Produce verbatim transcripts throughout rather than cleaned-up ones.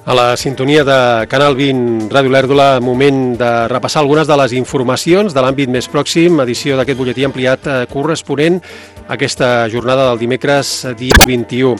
A la sintonia de Canal vint Ràdio Olèrdola, moment de repassar algunes de les informacions de l'àmbit més pròxim, edició d'aquest butlletí ampliat corresponent a aquesta jornada del dimecres dia vint-i-u.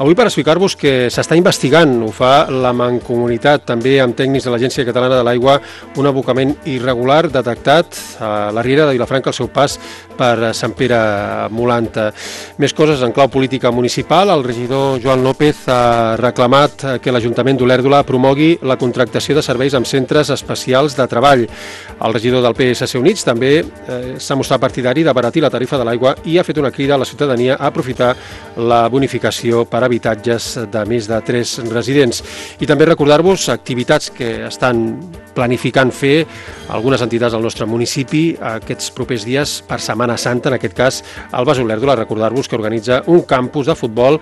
Avui per explicar-vos que s'està investigant, ho fa la Mancomunitat, també amb tècnics de l'Agència Catalana de l'Aigua, un abocament irregular detectat a la Riera de Vilafranca al seu pas per Sant Pere Molanta. Més coses en clau política municipal. El regidor Joan López ha reclamat que l'Ajuntament d'Olèrdola promogui la contractació de serveis amb centres especials de treball. El regidor del P S C Units també eh, s'ha mostrat partidari d'abaratir la tarifa de l'aigua i ha fet una crida a la ciutadania a aprofitar la bonificació per habitatges de més de tres residents. I també recordar-vos activitats que estan planificant fer algunes entitats del nostre municipi aquests propers dies per Setmana Santa, en aquest cas el Bas Olèrdola. Recordar-vos que organitza un campus de futbol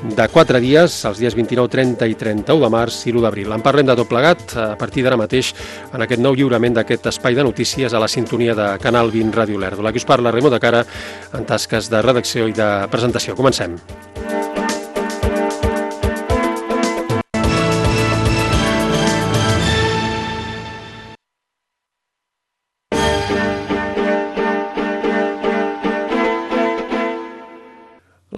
de quatre dies, els dies vint-i-nou, trenta i trenta-u de març i l'u d'abril. En parlem de tot plegat a partir d'ara mateix en aquest nou lliurament d'aquest espai de notícies a la sintonia de Canal vint Ràdio Olèrdola. Aquí us parla Raimon de Cara en tasques de redacció i de presentació. Comencem.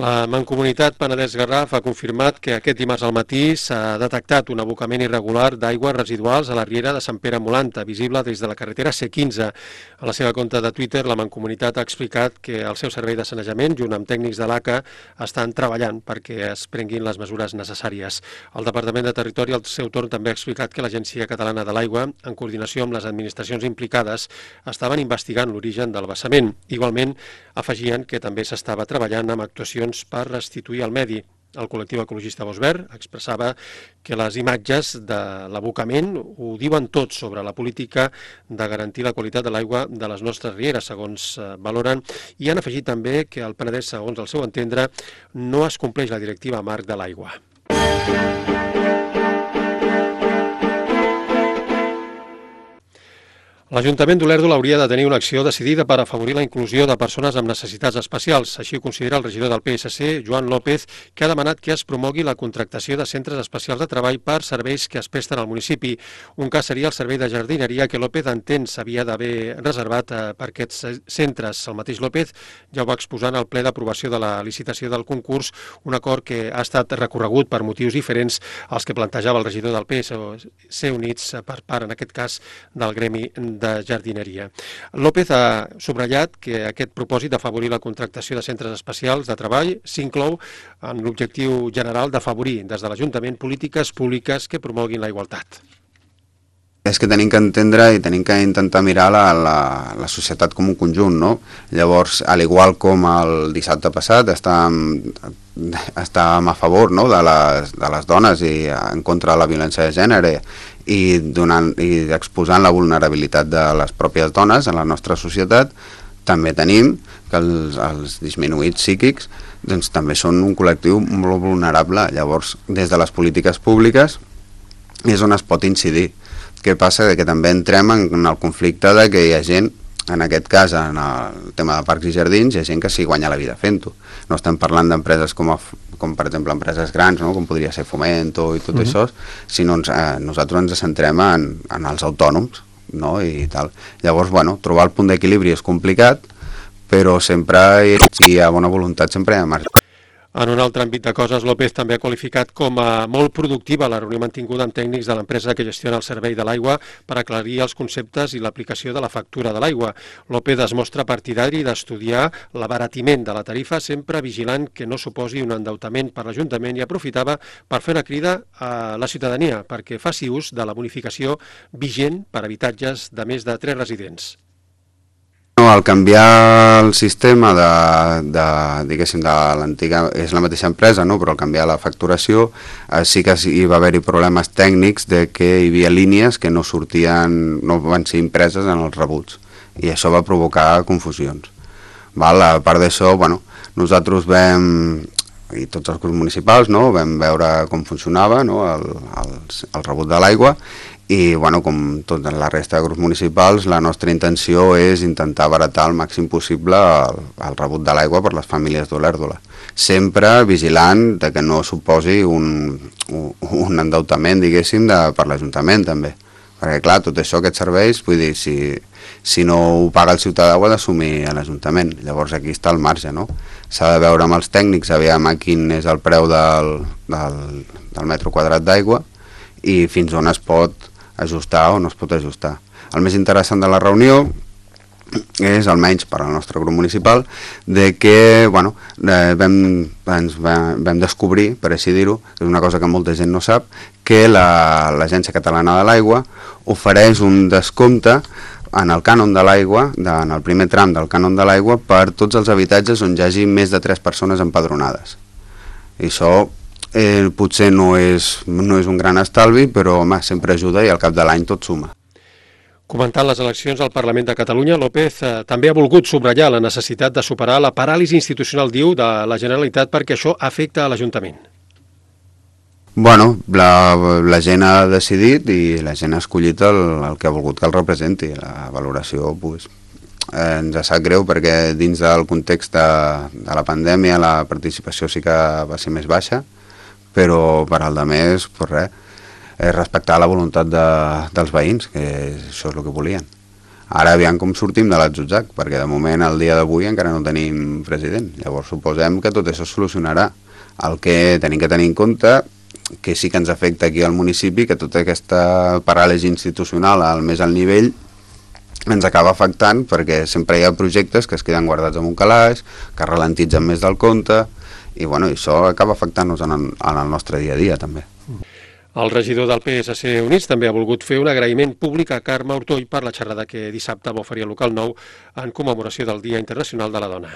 La Mancomunitat Penedès-Garraf ha confirmat que aquest dimarts al matí s'ha detectat un abocament irregular d'aigües residuals a la Riera de Sant Pere Molanta, visible des de la carretera C quinze. A la seva compte de Twitter, la Mancomunitat ha explicat que el seu servei de sanejament, junt amb tècnics de l'A C A, estan treballant perquè es prenguin les mesures necessàries. El Departament de Territori, al seu torn, també ha explicat que l'Agència Catalana de l'Aigua, en coordinació amb les administracions implicades, estaven investigant l'origen del vessament. Igualment, afegien que també s'estava treballant amb actuacions per restituir el medi. El col·lectiu ecologista Bosc Verd expressava que les imatges de l'abocament ho diuen tot sobre la política de garantir la qualitat de l'aigua de les nostres rieres, segons valoren, i han afegit també que el Penedès, segons el seu entendre, no es compleix la directiva marc de l'aigua. L'Ajuntament d'Olèrdola hauria de tenir una acció decidida per afavorir la inclusió de persones amb necessitats especials. Així ho considera el regidor del P S C, Joan López, que ha demanat que es promogui la contractació de centres especials de treball per serveis que es presten al municipi. Un cas seria el servei de jardineria que López entén s'havia d'haver reservat per aquests centres. El mateix López ja ho va exposar en el ple d'aprovació de la licitació del concurs, un acord que ha estat recorregut per motius diferents als que plantejava el regidor del P S C Units per part, en aquest cas, del gremi de jardineria. López ha subratllat que aquest propòsit d'afavorir la contractació de centres especials de treball s'inclou en l'objectiu general d'afavorir des de l'Ajuntament polítiques públiques que promoguin la igualtat. És que tenim que entendre i tenim que intentar mirar la, la, la societat com un conjunt, no? Llavors, al igual com el dissabte passat estàvem, estàvem a favor, no?, de, les, de les dones i en contra de la violència de gènere i, donant, i exposant la vulnerabilitat de les pròpies dones en la nostra societat, també tenim que els, els disminuïts psíquics doncs, també són un col·lectiu molt vulnerable. Llavors, des de les polítiques públiques és on es pot incidir. Què passa? Que també entrem en el conflicte de que hi ha gent, en aquest cas, en el tema de parcs i jardins, hi ha gent que s'hi guanya la vida fent-ho. No estem parlant d'empreses com, a, com, per exemple, empreses grans, no?, com podria ser Fomento i tot uh-huh. això, sinó ens, eh, nosaltres ens centrem en, en els autònoms, no?, i tal. Llavors, bueno, trobar el punt d'equilibri és complicat, però sempre, si hi ha bona voluntat, sempre hi ha marge. En un altre àmbit de coses, López també ha qualificat com a molt productiva la reunió mantinguda amb tècnics de l'empresa que gestiona el servei de l'aigua per aclarir els conceptes i l'aplicació de la factura de l'aigua. López es mostra partidari d'estudiar l'abaratiment de la tarifa, sempre vigilant que no suposi un endeutament per l'Ajuntament, i aprofitava per fer una crida a la ciutadania perquè faci ús de la bonificació vigent per habitatges de més de tres residents. No, al canviar el sistema de, de diguéssim, de l'antiga, és la mateixa empresa, no?, però al canviar la facturació eh, sí que hi va haver-hi problemes tècnics de que hi havia línies que no sortien, no van ser impreses en els rebuts, i això va provocar confusions. Val? A part d'això, bueno, nosaltres vam, i tots els grups municipals, no?, vam veure com funcionava, no?, el, el, el rebut de l'aigua, i bueno, com tota la resta de grups municipals, la nostra intenció és intentar abaratar el màxim possible el, el rebut de l'aigua per les famílies d'Olèrdola. sempre vigilant de que no suposi un, un endeutament, diguéssim, de, per l'Ajuntament també. Perquè, clar, tot això, aquests serveis, vull dir, si, si no ho paga el ciutadà ho ha d'assumir a l'Ajuntament. Llavors aquí està el marge, no? S'ha de veure amb els tècnics, aviam a quin és el preu del, del, del metre quadrat d'aigua i fins on es pot ajustar o no es pot ajustar. El més interessant de la reunió és, almenys per al nostre grup municipal, de que bueno, eh, vam, ens vam, vam descobrir, per així dir-ho, és una cosa que molta gent no sap, que l'Agència la, Catalana de l'Aigua ofereix un descompte en el cànon de l'aigua, en el primer tram del cànon de l'aigua, per tots els habitatges on hi hagi més de tres persones empadronades. I això eh, potser no és, no és un gran estalvi, però home, sempre ajuda i al cap de l'any tot suma. Comentant les eleccions al Parlament de Catalunya, López eh, també ha volgut subratllar la necessitat de superar la paràlisi institucional, diu, de la Generalitat perquè això afecta a l'Ajuntament. Bueno, la, la gent ha decidit i la gent ha escollit el, el que ha volgut que el representi. La valoració pues, eh, ens sap greu perquè dins del context de, de la pandèmia la participació sí que va ser més baixa, però per al de més, pues res, és respectar la voluntat de, dels veïns, que això és el que volien. Ara aviam com sortim de l'Atzutzac, perquè de moment, al dia d'avui, encara no tenim president. Llavors suposem que tot això es solucionarà. El que tenim que tenir en compte, que sí que ens afecta aquí al municipi, que tota aquesta paràlisi institucional al més alt nivell ens acaba afectant, perquè sempre hi ha projectes que es queden guardats en un calaix, que ralentitzen més del compte, i bueno, això acaba afectant-nos en, el, en el nostre dia a dia també. El regidor del P S C Units també ha volgut fer un agraïment públic a Carme Ortoll per la xerrada que dissabte va oferir al local nou en commemoració del Dia Internacional de la Dona.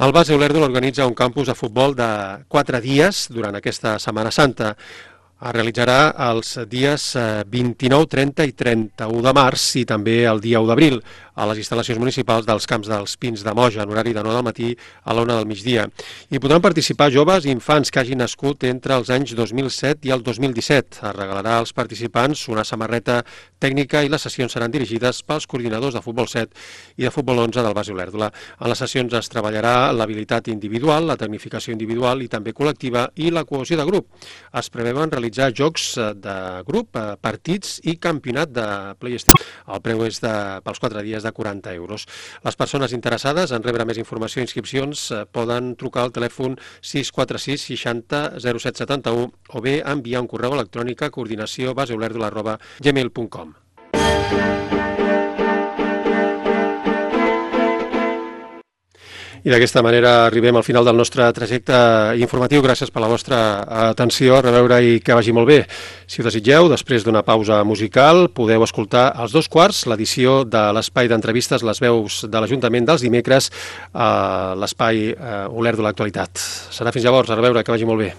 El Base Olèrdol organitza un campus de futbol de quatre dies durant aquesta Setmana Santa. Es realitzarà els dies vint-i-nou, trenta i trenta-u de març i també el dia u d'abril a les instal·lacions municipals dels Camps dels Pins de Moja, en horari de nou del matí a la una del migdia. Hi podran participar joves i infants que hagin nascut entre els anys dos mil set i el dos mil disset. Es regalarà als participants una samarreta tècnica i les sessions seran dirigides pels coordinadors de futbol set i de futbol onze del Base Olèrdola. En les sessions es treballarà l'habilitat individual, la tecnificació individual i també col·lectiva i la cohesió de grup. Es preveuen realitzar jocs de grup, partits i campionat de PlayStation. El preu és de, pels quatre dies de quaranta euros. Les persones interessades en rebre més informació i inscripcions poden trucar al telèfon sis quatre sis seixanta zero set setanta-u o bé enviar un correu electrònic a coordinació baseolèrdola arroba gmail punt com. I d'aquesta manera arribem al final del nostre trajecte informatiu. Gràcies per la vostra atenció, a reveure i que vagi molt bé. Si ho desitgeu, després d'una pausa musical, podeu escoltar als dos quarts l'edició de l'espai d'entrevistes Les Veus de l'Ajuntament dels dimecres a l'espai Olèrdola Actualitat. Serà fins llavors, a reveure, que vagi molt bé.